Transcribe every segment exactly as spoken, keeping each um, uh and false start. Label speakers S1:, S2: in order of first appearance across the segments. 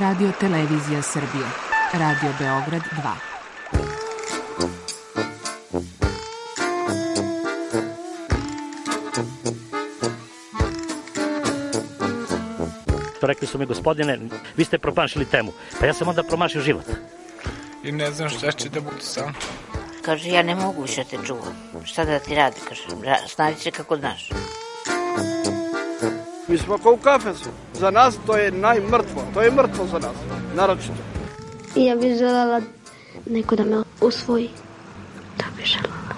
S1: Radio Televizija Srbije. Radio Beograd dva.
S2: Rekli su mi, gospodine, vi ste promašili temu. Pa ja sam onda promašio život.
S3: I ne znam šta će da bude sam.
S4: Kaže, ja ne mogu više te čuvam. Šta da ti radi, kaže, snađi se kako znaš.
S5: Mi smo kao u kafesu. Za nas to je najmrtvo. To je mrtvo za nas, naročito.
S6: I ja bih željela neko da me usvoji. To bih željela.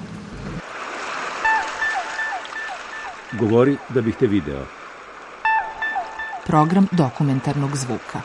S7: Govori da bih te video.
S1: Program dokumentarnog zvuka.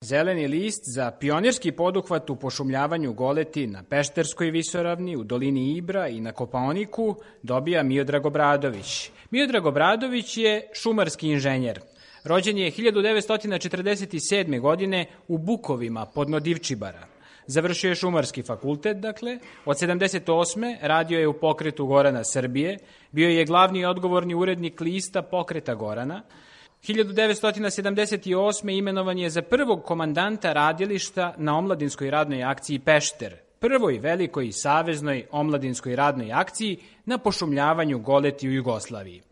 S8: Zeleni list za pionirski poduhvat u pošumljavanju goleti na Pešterskoj visoravni, u dolini Ibra i na Kopaoniku dobija Miodrag Obradović. Miodrag Obradović je šumarski inženjer. Rođen je hiljadu devetsto četrdeset sedme. godine u Bukovima podno Divčibara. Završio je šumarski fakultet, dakle. Od sedamdeset osme. radio je u Pokretu Gorana Srbije. Bio je glavni i odgovorni urednik lista Pokreta Gorana. hiljadu devetsto sedamdeset osme. imenovan je za prvog komandanta radilišta na omladinskoj radnoj akciji Pešter, prvoj velikoj saveznoj omladinskoj radnoj akciji na pošumljavanju goleti u Jugoslaviji.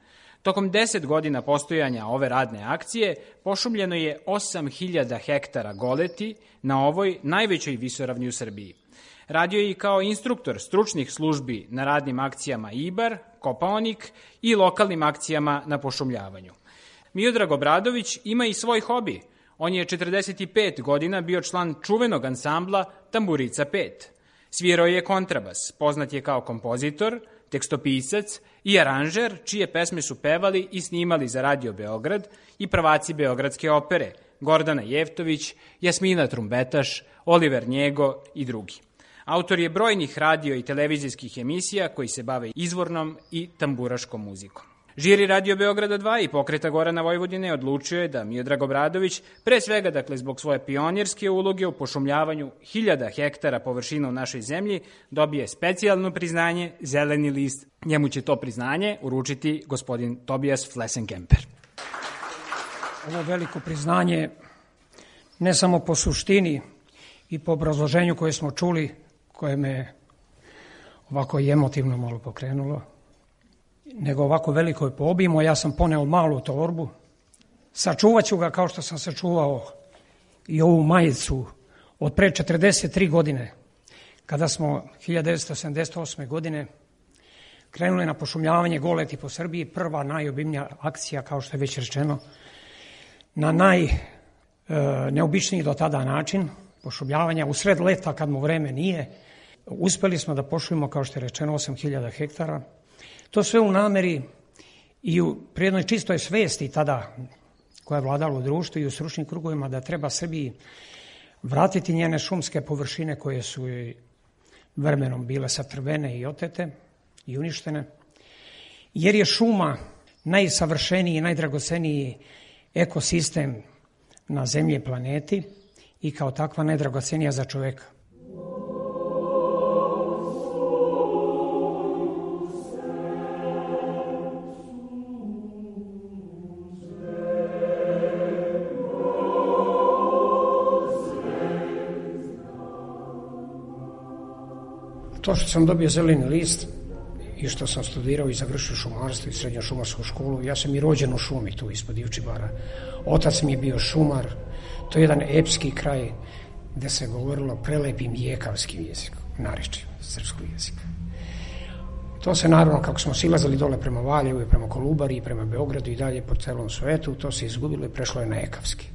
S8: Tokom deset godina postojanja ove radne akcije pošumljeno je osam hiljada hektara goleti na ovoj najvećoj visoravni u Srbiji. Radio je i kao instruktor stručnih službi na radnim akcijama Ibar, Kopaonik i lokalnim akcijama na pošumljavanju. Miodrag Obradović ima i svoj hobi. On je četrdeset pet godina bio član čuvenog ansambla Tamburica pet. Svirao je kontrabas, poznat je kao kompozitor, tekstopisac i aranžer, čije pesme su pevali i snimali za Radio Beograd i prvaci Beogradske opere, Gordana Jevtović, Jasmina Trumbetaš, Oliver Njego i drugi. Autor je brojnih radio i televizijskih emisija koji se bave izvornom i tamburaškom muzikom. Žiri Radio Beograda dva i Pokreta Gorana Vojvodine odlučio je da Miodrag Obradović, pre svega dakle zbog svoje pionirske uloge u pošumljavanju hiljada hektara površina u našoj zemlji, dobije specijalno priznanje Zeleni list. Njemu će to priznanje uručiti gospodin Tobijas Flesenkemper.
S9: Ovo veliko priznanje ne samo po suštini i po obrazloženju koje smo čuli, koje me ovako i emotivno malo pokrenulo, nego ovako veliko je po obimu. Ja sam poneo malu torbu, sačuvat ću ga kao što sam sačuvao i ovu majicu od pre četrdeset tri godine, kada smo hiljadu devetsto sedamdeset osme. godine krenuli na pošumljavanje goleti po Srbiji, prva najobimnija akcija, kao što je već rečeno, na najneobičniji do tada način pošumljavanja, u sred leta kad mu vreme nije. Uspeli smo da pošumimo, kao što je rečeno, osam hiljada hektara. To sve u nameri i u prijednoj čistoj svesti tada koja je vladala u društvu i u stručnim krugovima da treba Srbiji vratiti njene šumske površine koje su vremenom bile satrvene i otete i uništene, jer je šuma najsavršeniji i najdragoceniji ekosistem na zemlji i planeti i kao takva najdragocenija za čoveka. To što sam dobio zeleni list i što sam studirao i završio šumarstvo i srednju šumarsku školu, ja sam i rođen u šumi tu ispod Divčibara. Otac mi je bio šumar, to je jedan epski kraj gde se govorilo prelepim jekavskim jezikom, narečjem srpskog jezika. To se naravno, kako smo silazili dole prema Valjevu i prema Kolubari i prema Beogradu i dalje po celom svetu, to se izgubilo i prešlo je na jekavski.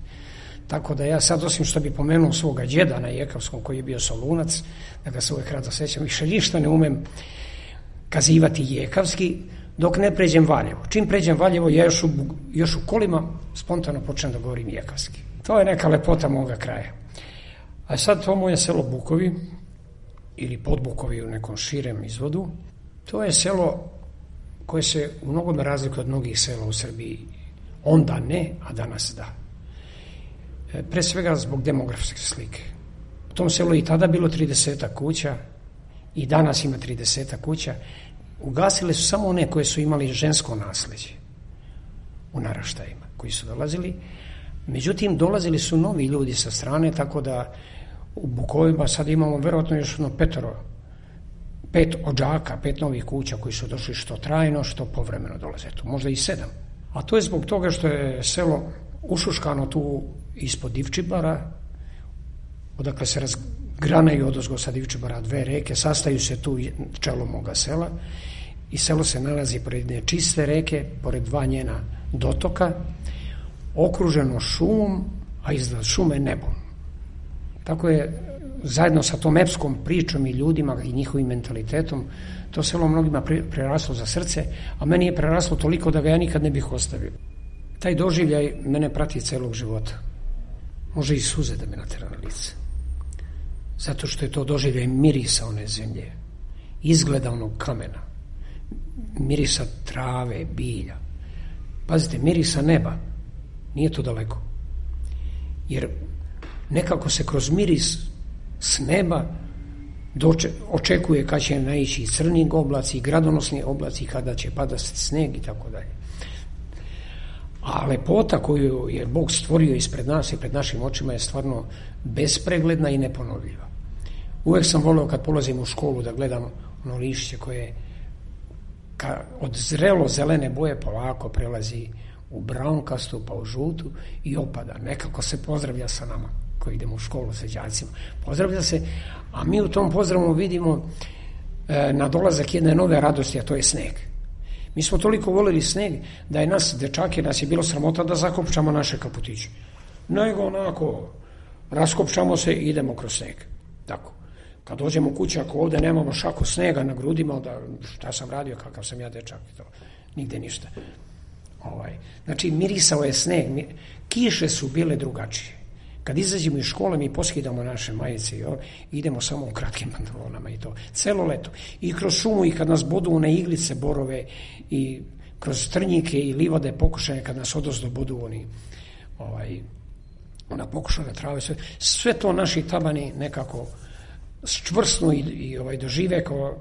S9: Tako da ja sad, osim što bi pomenuo svoga djeda na jekavskom koji je bio Solunac, da ga se uvijek rado sećam, više ništa ne umem kazivati jekavski dok ne pređem Valjevo. Čim pređem Valjevo, ja još u, još u kolima spontano počnem da govorim jekavski. To je neka lepota moga kraja. A sad to moje selo Bukovi, ili Podbukovi u nekom širem izvodu, to je selo koje se u mnogome razlikuje od mnogih sela u Srbiji. Onda ne, a danas da. Pre svega zbog demografske slike. U tom selu i tada bilo trideset kuća i danas ima trideset kuća. Ugasile su samo one koje su imali žensko nasleđe. u naraštajima koji su dolazili. Međutim, dolazili su novi ljudi sa strane, tako da u Bukovima sad imamo verovatno još jedno petoro, pet odžaka, pet novih kuća koji su došli što trajno, što povremeno dolaze tu, možda i sedam. A to je zbog toga što je selo ušuškano tu ispod Divčibara, odakle se razgranaju odozgo sa Divčibara dve reke, sastaju se tu čelo moga sela i selo se nalazi pored jedne čiste reke, pored dva njena dotoka, okruženo šumom, a iznad šume nebom. Tako je, zajedno sa tom epskom pričom i ljudima i njihovim mentalitetom, to selo mnogima preraslo za srce, a meni je preraslo toliko da ga ja nikad ne bih ostavio. Taj doživljaj mene prati celog života. Može i suze da me natera na lice. Zato što je to doživljaj mirisa one zemlje, izgleda onog kamena, mirisa trave, bilja. Pazite, mirisa neba, nije to daleko. Jer nekako se kroz miris s neba doče, očekuje kad će naići i crni oblaci, i gradonosni oblaci, kada će padati sneg i tako dalje. A lepota koju je Bog stvorio ispred nas i pred našim očima je stvarno bespregledna i neponovljiva. Uvek sam voleo kad polazim u školu da gledam ono lišće koje ka, od zrelo zelene boje polako prelazi u braunkastu pa u žutu i opada. Nekako se pozdravlja sa nama koji idemo u školu sa đacima. Pozdravlja se, a mi u tom pozdravu vidimo e, na dolazak jedne nove radosti, a to je sneg. Mi smo toliko volili sneg da je nas, dečake, nas je bilo sramota da zakopčamo naše kaputiće. Nego onako, raskopčamo se i idemo kroz sneg. Tako. Kad dođemo kući, ako ovde nemamo šaku snega na grudima, da šta sam radio, kakav sam ja dečak, to nigde ništa. Ovaj. Znači, mirisao je sneg, kiše su bile drugačije. Kad izađemo iz škole, mi poskidamo naše majice i idemo samo u kratkim pantalonama i to. Celo leto. I kroz šumu i kad nas bodu one iglice, borove i kroz trnjike i livade pokušaje kad nas odozdo bodu oni ovaj, ona pokušana trave. Sve, sve to naši tabani nekako čvrsnu i, i ovaj, dožive kao,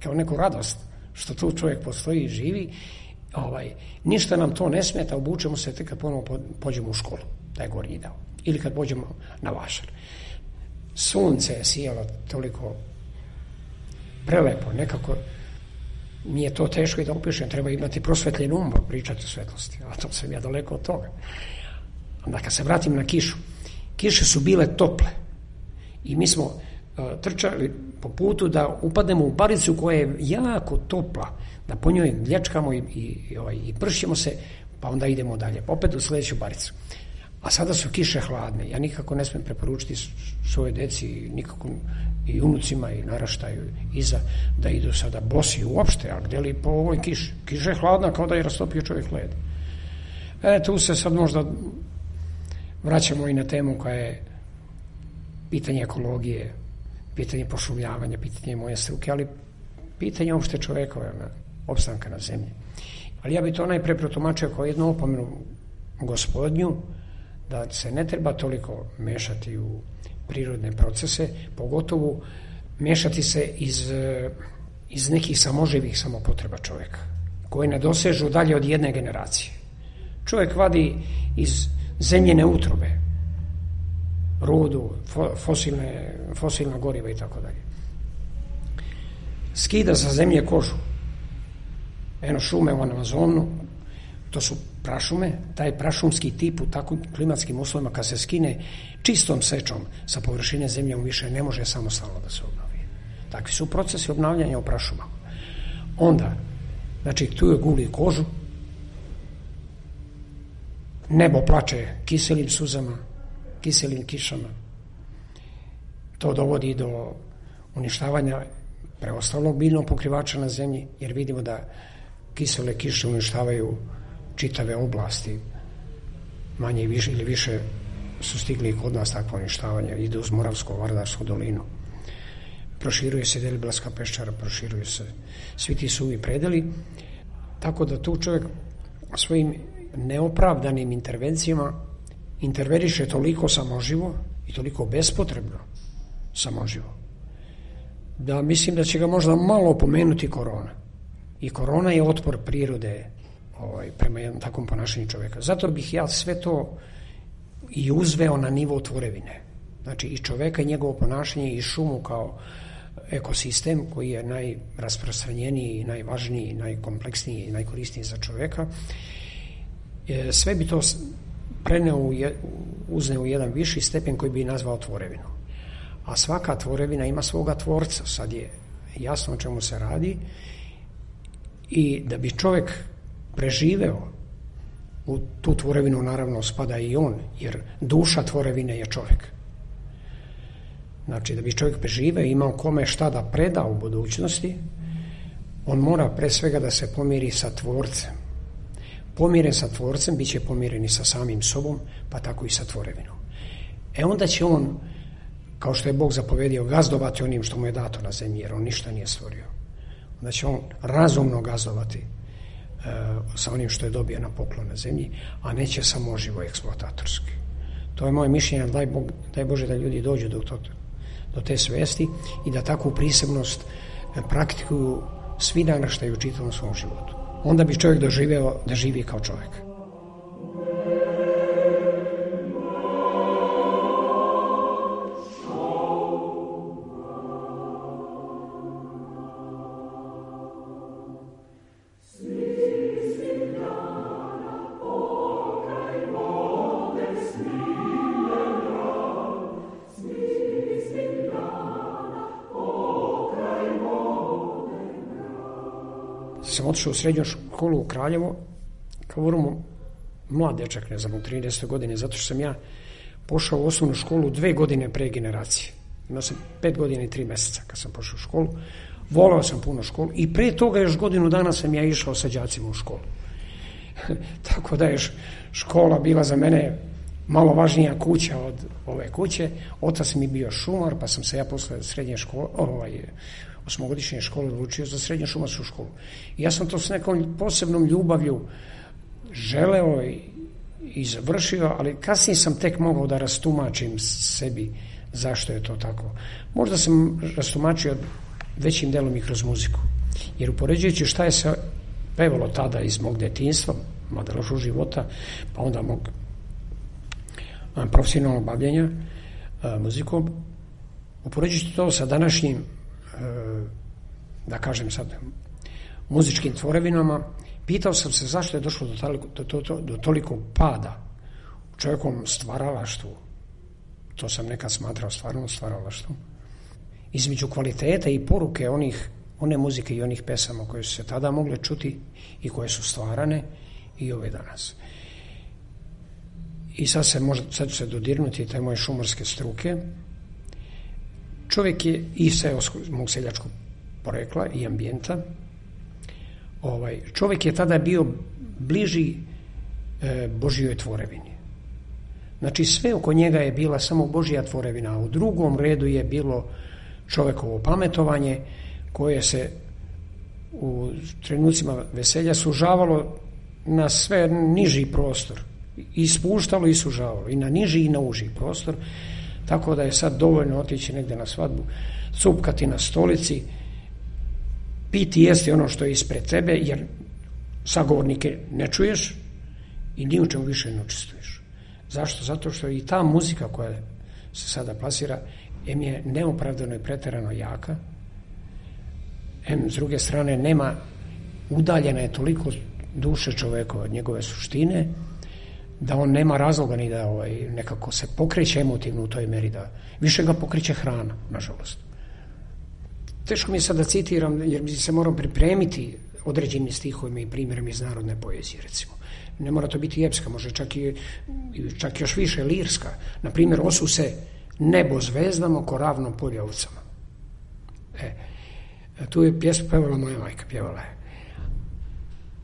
S9: kao neku radost što tu čovjek postoji i živi. Ovaj, ništa nam to ne smeta, obučemo se tek kad ponovo pođemo u školu, taj gornji dao. Ili kad pođemo na vašar. Sunce je sijalo toliko prelepo, nekako mi je to teško i da opišem, treba imati prosvetljen um, pričati o svetlosti, a to sam ja daleko od toga. Onda kad se vratim na kišu, kiše su bile tople i mi smo uh, trčali po putu da upadnemo u baricu koja je jako topla, da po njoj lječkamo i, i, i, ovaj, i pršćemo se, pa onda idemo dalje, opet u sledeću baricu. A sada su kiše hladne. Ja nikako ne smem preporučiti svoje deci, nikako i unucima i naraštaju iza da idu sada bosi uopšte, a gde li po ovoj kiši? Kiša je hladna kao da je rastopio čovjek led. E, tu se sad možda vraćamo i na temu koja je pitanje ekologije, pitanje pošumljavanja, pitanje moje struke, ali pitanje uopšte čovjekove opstanka na zemlji. Ali ja bi to najpre protumačio kao jednu opomenu Gospodnju, da se ne treba toliko mešati u prirodne procese, pogotovo mešati se iz, iz nekih samoživih samopotreba čovjeka, koje ne dosežu dalje od jedne generacije. Čovjek vadi iz zemljene utrobe, rudu, fosilne, fosilna goriva i tako dalje. Skida sa zemlje kožu. Eno šume u Amazonu, to su prašume, taj prašumski tip u takvim klimatskim uslovima kad se skine čistom sečom sa površine zemlje, on više ne može samostalno da se obnovi. Takvi su procesi obnavljanja u prašumama. Onda, znači tu je guli kožu, nebo plače kiselim suzama, kiselim kišama. To dovodi do uništavanja preostalog biljnog pokrivača na zemlji, jer vidimo da kisele kiše uništavaju čitave oblasti, manje i više ili više su stigli i kod nas takvo uništavanje, ide uz Moravsko-Vardarsku dolinu. Proširuje se Deliblatska peščara, proširuju se svi ti suvi predeli, tako da tu čovjek svojim neopravdanim intervencijama interveniše toliko samoživo i toliko bespotrebno samoživo, da mislim da će ga možda malo opomenuti korona. I korona je otpor prirode ovaj, prema jednom takvom ponašanju čovjeka. Zato bih ja sve to i uzveo na nivo tvorevine. Znači i čovjeka i njegovo ponašanje i šumu kao ekosistem koji je najrasprostranjeniji, najvažniji, najkompleksniji i najkorisniji za čovjeka. Sve bi to preneo, uzneo u jedan viši stepen koji bi nazvao tvorevinu. A svaka tvorevina ima svoga tvorca. Sad je jasno o čemu se radi i da bi čovjek preživeo u tu tvorevinu, naravno spada i on, jer duša tvorevine je čovjek. Znači da bi čovjek preživeo i imao kome šta da preda u budućnosti, on mora pre svega da se pomiri sa tvorcem. Pomiren sa tvorcem, bit će pomiren i sa samim sobom, pa tako i sa tvorevinom. E onda će on, kao što je Bog zapovedio, gazdovati onim što mu je dato na zemlji, jer on ništa nije stvorio. Onda će on razumno gazdovati e, sa onim što je dobio na poklon na zemlji, a neće samo živo eksploatatorski. To je moje mišljenje, daj, Bog, daj Bože da ljudi dođu do, to, do te svesti i da takvu prisebnost praktikuju svi naraštaji u čitavom svom životu. Onda bi čovjek doživeo da živi kao čovjek. Sam otišao u srednju školu u Kraljevo, kao vrlo mlad dečak, ne znam, u trinaestoj godine, zato što sam ja pošao u osnovnu školu dve godine pre generacije. Imao sam pet godina i tri mjeseca kad sam pošao u školu. Volao sam puno školu i pre toga još godinu dana sam ja išao sa đacima u školu. Tako da je škola bila za mene malo važnija kuća od ove kuće. Otac mi bio šumar, pa sam se ja posle srednje škole, ovaj, osmogodišnje škole odlučio za srednju šumarsku školu. I ja sam to s nekom posebnom ljubavlju želeo i, i završio, ali kasnije sam tek mogao da rastumačim sebi zašto je to tako. Možda sam rastumačio većim delom i kroz muziku. Jer upoređujući šta je se pevalo tada iz mog detinjstva, mladenačkog života, pa onda mog profesionalnog bavljenja muzikom, upoređujući to sa današnjim, da kažem sad, muzičkim tvorevinama, pitao sam se zašto je došlo do toliko, do, do, do toliko pada u čovjekovom stvaralaštvu. To sam nekad smatrao stvarno stvaralaštvom. Između kvalitete i poruke onih, one muzike i onih pesama koje su se tada mogle čuti i koje su stvarane i ove danas. I sad se može, sad ću se dodirnuti te moje šumarske struke. Čovjek je i seoskog, mog seljačkog porekla i ambijenta. Ovaj, čovjek je tada bio bliži e, Božjoj tvorevini. Znači sve oko njega je bila samo Božja tvorevina, a u drugom redu je bilo čovjekovo pametovanje koje se u trenucima veselja sužavalo na sve niži prostor. I spuštalo i sužavalo. I na niži i na uži prostor. Tako da je sad dovoljno otići negdje na svadbu, cupkati na stolici, piti jesti ono što je ispred tebe, jer sagovornike ne čuješ i ni u čemu više ne učestvuješ. Zašto? Zato što i ta muzika koja se sada plasira, em je neopravdano i pretjerano jaka, em s druge strane nema, udaljena je toliko duše čovjeka od njegove suštine, da on nema razloga ni da ovaj, nekako se pokreće emotivno u toj meri, da više ga pokreće hrana, nažalost. Teško mi je sad da citiram, jer se moram pripremiti određenim stihovima i primjerima iz narodne poezije, recimo. Ne mora to biti epska, može čak i čak još više lirska. Na primjer, osu se nebo zvezdama ko ravno polje ovcama. E, tu je pjesmu pevala moja majka, pjevala je.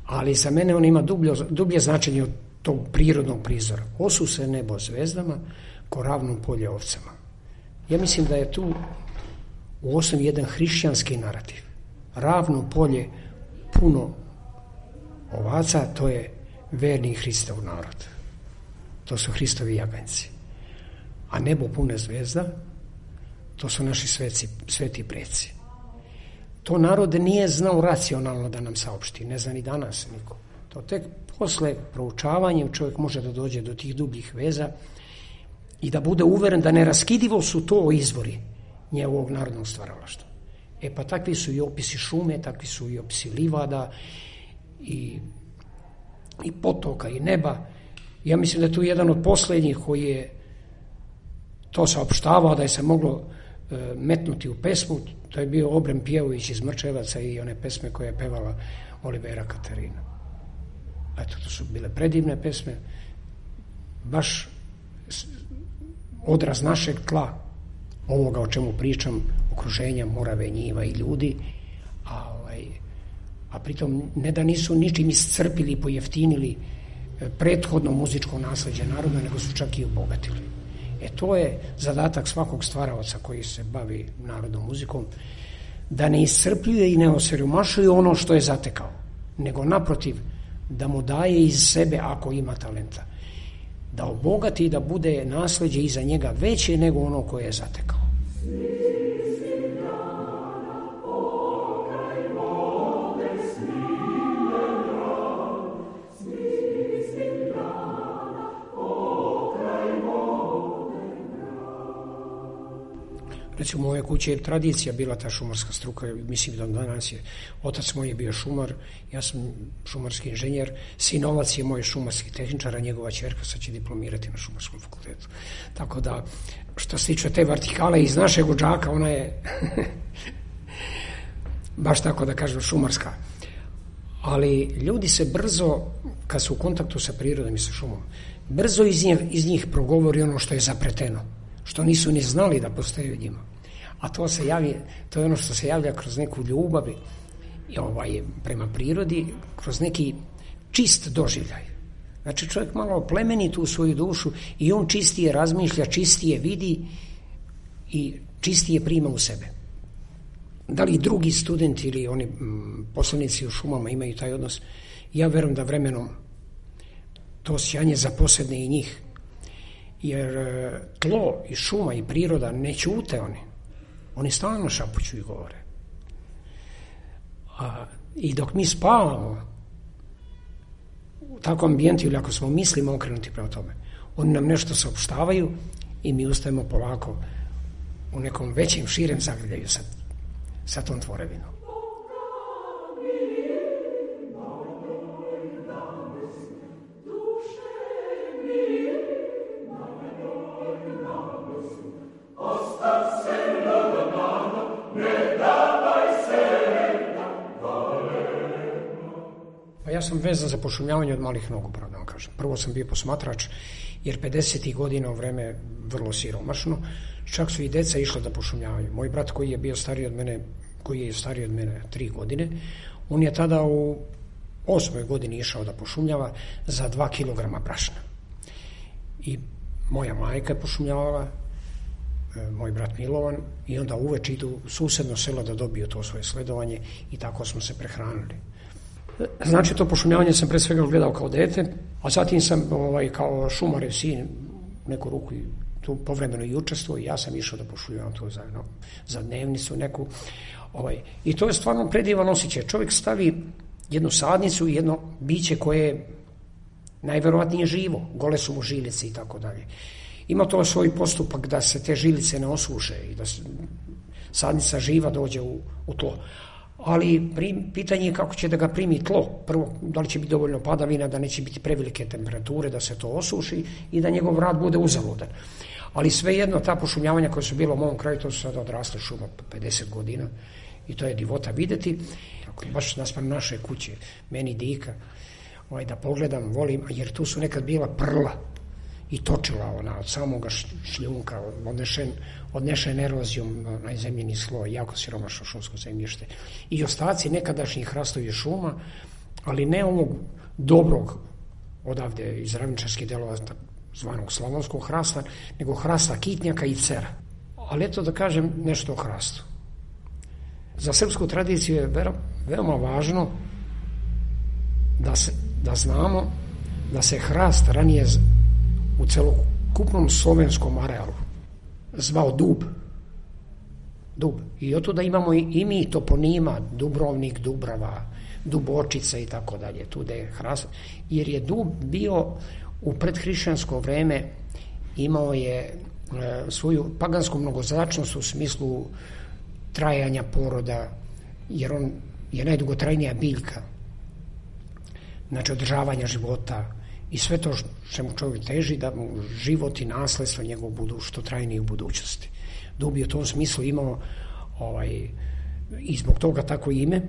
S9: Ali za mene on ima dublje, dublje značenje od tog prirodnog prizora. Osu se nebo zvezdama ko ravno polje ovcama. Ja mislim da je tu u osnovi jedan hrišćanski narativ. Ravno polje puno ovaca, to je verni Hristov narod. To su Hristovi jaganjci. A nebo pune zvezda, to su naši sveci, sveti preci. To narod nije znao racionalno da nam saopšti, ne zna ni danas niko. To tek posle proučavanjem čovjek može da dođe do tih dubljih veza i da bude uveren da neraskidivo su to izvori njegovog narodnog stvaralaštva. E pa takvi su i opisi šume, takvi su i opisi livada i, i potoka i neba. Ja mislim da je tu jedan od posljednjih koji je to saopštavao da je se moglo e, metnuti u pesmu. To je bio Obrem Pjevović iz Mrčevaca i one pesme koje je pevala Olivera Katarina. Eto, to su bile predivne pesme, baš odraz našeg tla, ovoga o čemu pričam, okruženja, morave, njiva i ljudi, a, ovaj, a pritom ne da nisu ničim iscrpili i pojeftinili prethodno muzičko nasleđe naroda, nego su čak i obogatili. E to je zadatak svakog stvaraoca koji se bavi narodnom muzikom, da ne iscrpljuje i ne osiromašuje ono što je zatekao, nego naprotiv, da mu daje iz sebe ako ima talenta. Da obogati i da bude nasleđe iza njega veće nego ono koje je zatekao. Recimo, u moje kuće je tradicija bila ta šumarska struka, mislim da danas je. Otac moj je bio šumar, ja sam šumarski inženjer, sinovac je moj šumarski tehničar, a njegova ćerka sad će diplomirati na šumarskom fakultetu. Tako da, što se tiče te vertikale iz našeg udžaka, ona je baš tako da kažem šumarska. Ali ljudi se brzo, kad su u kontaktu sa prirodom i sa šumom, brzo iz njih, iz njih progovori ono što je zapreteno, što nisu ni znali da postoji u njima. A to se javi, to je ono što se javlja kroz neku ljubav i ovaj, prema prirodi, kroz neki čist doživljaj. Znači čovjek malo oplemeni tu svoju dušu i on čistije razmišlja, čistije vidi i čistije prima u sebe. Da li drugi studenti ili oni m, poslanici u šumama imaju taj odnos? Ja verujem da vremenom to osjećanje zaposedne i njih. Jer tlo i šuma i priroda ne ćute oni. Oni stalno šapuću i govore. A, I dok mi spavamo u takvom ambijentu ili ako smo mislimo okrenuti prema tome, oni nam nešto saopštavaju i mi ustajemo polako u nekom većem, širem zagrljaju sa, sa tom tvorevinom. Ja sam vezan za pošumljavanje od malih nogu, pravo da vam kažem. Prvo sam bio posmatrač, jer pedesetih godina u vreme vrlo siromašno, čak su i deca išla da pošumljavaju. Moj brat koji je bio stariji od mene, koji je stariji od mene tri godine, on je tada u osmoj godini išao da pošumljava za dva kilograma brašna. I moja majka je pošumljavala, moj brat Milovan, i onda uveče idu u susedno selo da dobiju to svoje sledovanje i tako smo se prehranili. Znači, to pošumljavanje sam pre svega gledao kao dete, a zatim sam ovaj, kao šumarev sin neku ruku i tu povremeno i učestvovao i ja sam išao da pošumljavam to za, no, za dnevnicu neku. Ovaj. I to je stvarno predivan osjećaj. Čovjek stavi jednu sadnicu i jedno biće koje je najverovatnije živo, gole su mu žilice i tako dalje. Ima to svoj postupak da se te žilice ne osuše i da se sadnica živa dođe u, u tlo. Ali prim, pitanje je kako će da ga primi tlo. Prvo, da li će biti dovoljno padavina, da neće biti prevelike temperature, da se to osuši i da njegov rad bude uzaludan. Ali svejedno, ta pošumljavanja koja su bila u mom kraju, to su sada odrasle šuma po pedeset godina i to je divota videti. Baš naspram naše kuće, meni dika, ovaj, da pogledam, volim, jer tu su nekad bila prla i točila ona od samoga šljunka, odnešen, odnešen erozijom na zemljeni sloj, jako siromašno šumsko zemljište. I ostaci nekadašnjih hrastovi šuma, ali ne ovog dobrog odavde iz ravničarskih delova zvanog slavonskog hrasta, nego hrasta kitnjaka i cera. Ali eto da kažem nešto o hrastu. Za srpsku tradiciju je veoma važno da, se, da znamo da se hrast ranije u celokupnom slovenskom arealu zvao dub. Dub. I od tuda imamo i, i mi toponima, Dubrovnik, Dubrava, Dubočica i tako dalje. Tuda je hrast, jer je dub bio u predhrišćansko vreme, imao je e, svoju pagansku mnogoznačnost u smislu trajanja poroda, jer on je najdugotrajnija biljka, znači održavanja života i sve to čemu čovjek teži, da mu život i nasledstvo njegov budu što trajniji u budućnosti. Dub je u tom smislu imao ovaj, i zbog toga tako ime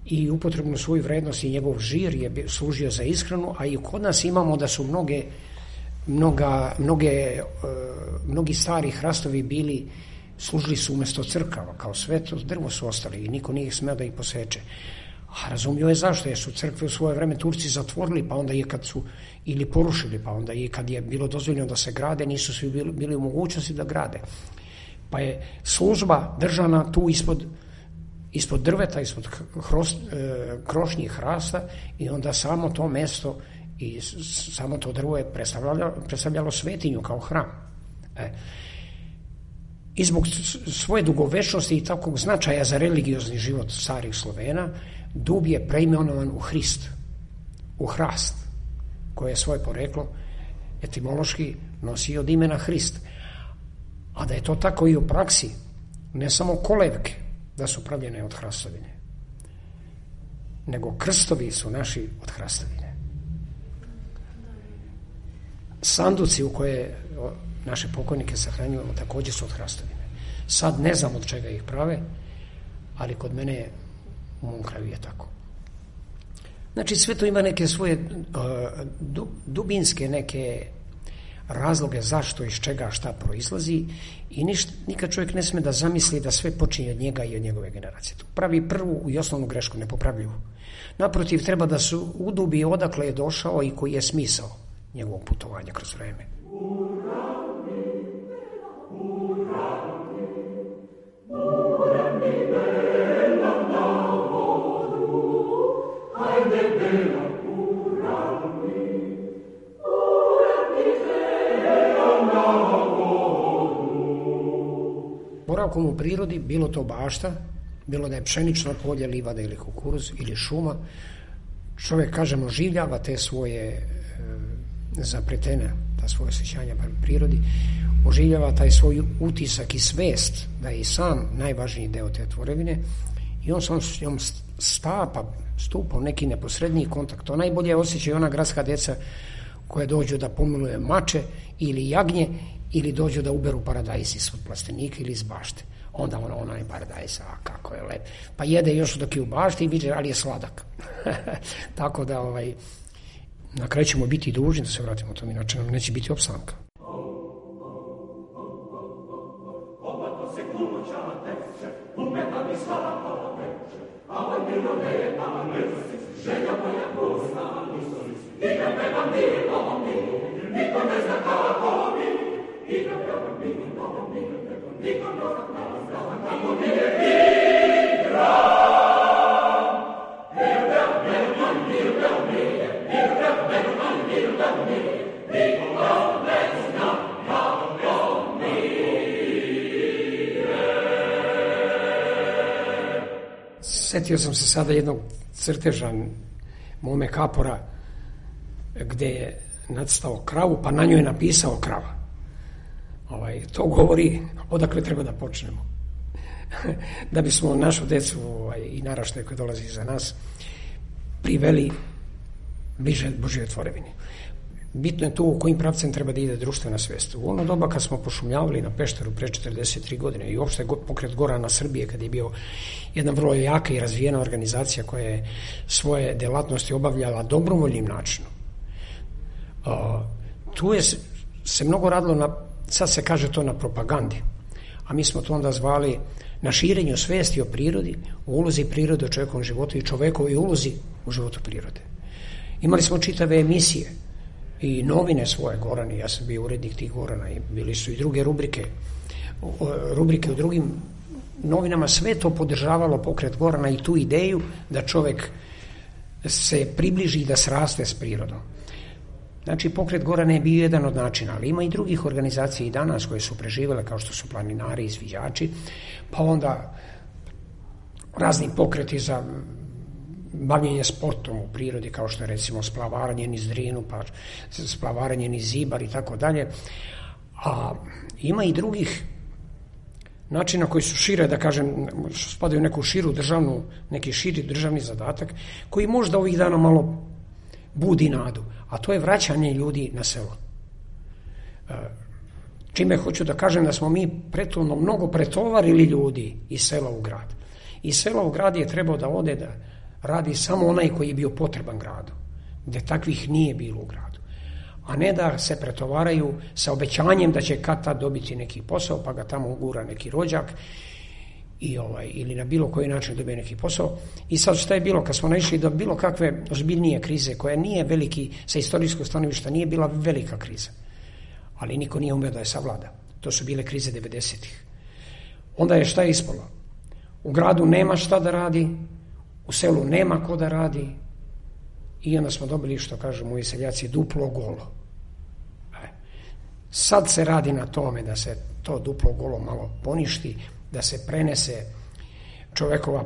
S9: i upotrebnu svoju vrednost i njegov žir je služio za ishranu, a i kod nas imamo da su mnoge mnoga, mnoge, mnogi stari hrastovi bili, služili su umjesto crkava, kao sveto drvo su ostali i niko nije smeo da ih poseče. A razumio je zašto, jer su crkve u svoje vreme Turci zatvorili, pa onda je kad su ili porušili, pa onda i kad je bilo dozvoljeno da se grade, nisu svi bili, bili u mogućnosti da grade. Pa je služba držana tu ispod, ispod drveta, ispod hrost, e, krošnjih hrasta i onda samo to mesto i samo to drvo je predstavljalo, predstavljalo svetinju kao hram. E. I zbog svoje dugovečnosti i takvog značaja za religiozni život starih Slovena, dub je preimenovan u Hrist, u hrast, koje je svoje poreklo etimološki nosi od imena Hrist. A da je to tako i u praksi, ne samo kolevke da su pravljene od hrastovine, nego krstovi su naši od hrastovine. Sanduci u koje naše pokojnike sahranjujemo također su od hrastovine. Sad ne znam od čega ih prave, ali kod mene u mom kraju je tako. Znači sve to ima neke svoje uh, dubinske neke razloge zašto, iz čega, šta proizlazi i ništa, nikad čovjek ne sme da zamisli da sve počinje od njega i od njegove generacije. To pravi prvu i osnovnu grešku, nepopravljivu. Naprotiv, treba da se udubi odakle je došao i koji je smisao njegovog putovanja kroz vreme. Boravkom u prirodi, bilo to bašta, bilo da je pšenično polje, livada ili kukuruz ili šuma, čovjek, kažemo, oživljava te svoje e, zapretene, ta svoje osjećanja prema prirodi, oživljava taj svoj utisak i svest da je i sam najvažniji deo te tvorevine i on sam s njom stapa, stupa u neki neposredniji kontakt. To najbolje osjećaju ona gradska djeca koja dođu da pomiluje mače ili jagnje ili dođu da uberu paradajz iz plastenika ili iz bašte. Onda ono, ono je paradajz, a kako je lep. Pa jede još dok je u bašti i vidi, ali je sladak. Tako da ovaj, na kraju ćemo biti dužni da se vratimo tom, inače nam neće biti opstanka. Sjetio sam se sada jednog crteža mome kapora gdje je nacrtao kravu, pa na njoj je napisao krava. Ovaj, to govori odakle treba da počnemo. Da bismo našu decu ovaj, i naraštaje koji dolazi za nas priveli bliže Božjoj tvorevini. Bitno je tu u kojim pravcem treba da ide društvena svest. U ono doba kad smo pošumljavali na Pešteru pre četrdeset tri godine i uopšte pokret Gorana Srbije, kad je bio jedna vrlo jaka i razvijena organizacija koja je svoje delatnosti obavljala dobrovoljnim načinom. Uh, tu je se mnogo radilo na, sad se kaže to na propagandi, a mi smo to onda zvali na širenju svesti o prirodi, o ulozi prirode u čovjekovom životu i čovekovoj ulozi u životu prirode. Imali smo čitave emisije i novine svoje, Gorani, ja sam bio urednik tih Gorana i bili su i druge rubrike, rubrike u drugim novinama, sve to podržavalo pokret Gorana i tu ideju da čovjek se približi i da sraste s prirodom. Znači, pokret Gorana je bio jedan od načina, ali ima i drugih organizacija i danas koje su preživjele, kao što su planinari i sviđači, pa onda razni pokreti za bavljenje sportom u prirodi, kao što je recimo splavaranje niz Drinu, pa splavaranje niz Ibar i tako dalje. A ima i drugih načina koji su šire, da kažem, spadaju u neku širu državnu, neki širi državni zadatak, koji možda ovih dana malo budi nadu, a to je vraćanje ljudi na selo. Čime hoću da kažem da smo mi prethodno mnogo pretovarili ljudi iz sela u grad. Iz sela u grad je trebao da ode da radi samo onaj koji je bio potreban gradu, gde takvih nije bilo u gradu. A ne da se pretovaraju sa obećanjem da će kad tad dobiti neki posao, pa ga tamo ugura neki rođak i ovaj, ili na bilo koji način dobije neki posao. I sad šta je bilo kad smo naišli do bilo kakve ozbiljnije krize, koja nije veliki, sa istorijskog stanovišta nije bila velika kriza, ali niko nije umeo da je savlada. To su bile krize devedesetih. Onda je šta je ispalo? U gradu nema šta da radi, u selu nema ko da radi i onda smo dobili, što kažu moji seljaci, duplo golo. Sad se radi na tome da se to duplo golo malo poništi, da se prenese čovekova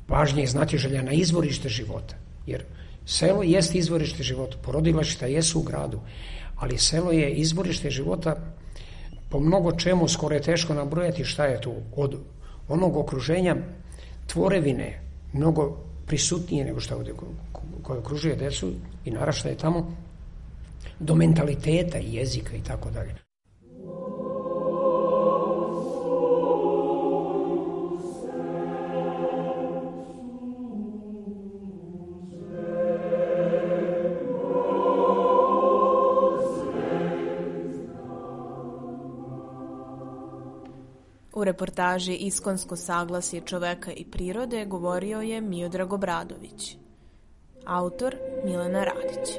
S9: pažnja i znatiželja na izvorište života. Jer selo jeste izvorište života, porodilišta jesu u gradu, ali selo je izvorište života po mnogo čemu, skoro je teško nabrojati šta je tu. Od onog okruženja tvorevine, mnogo prisutnije nego što ovdje koje okružuje decu i naraštaje tamo, do mentaliteta i jezika i tako dalje.
S10: U reportaži Iskonsko saglasje čoveka i prirode govorio je Miodrag Obradović. Autor Milena Radić.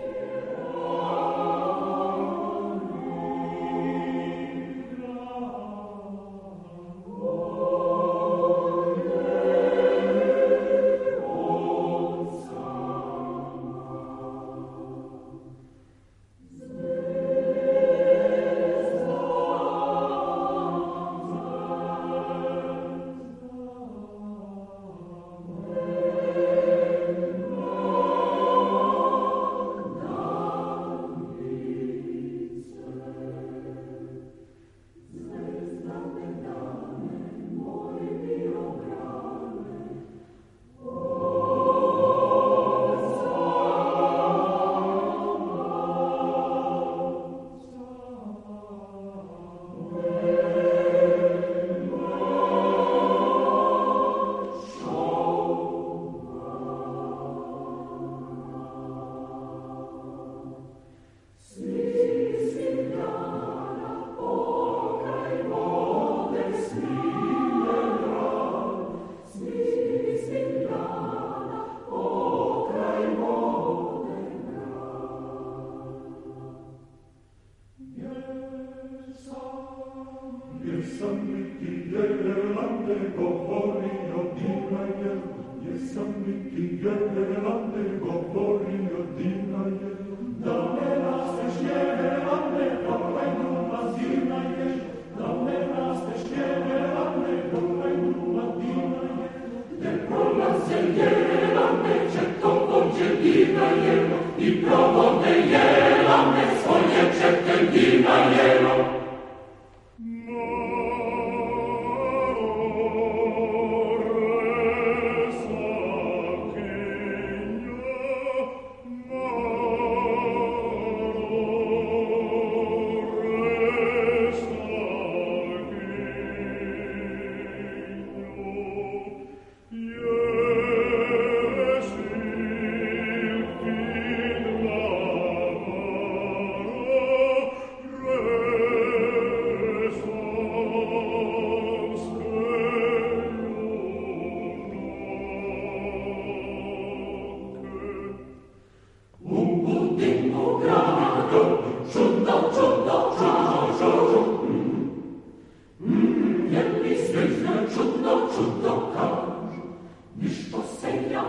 S11: Ništo se ja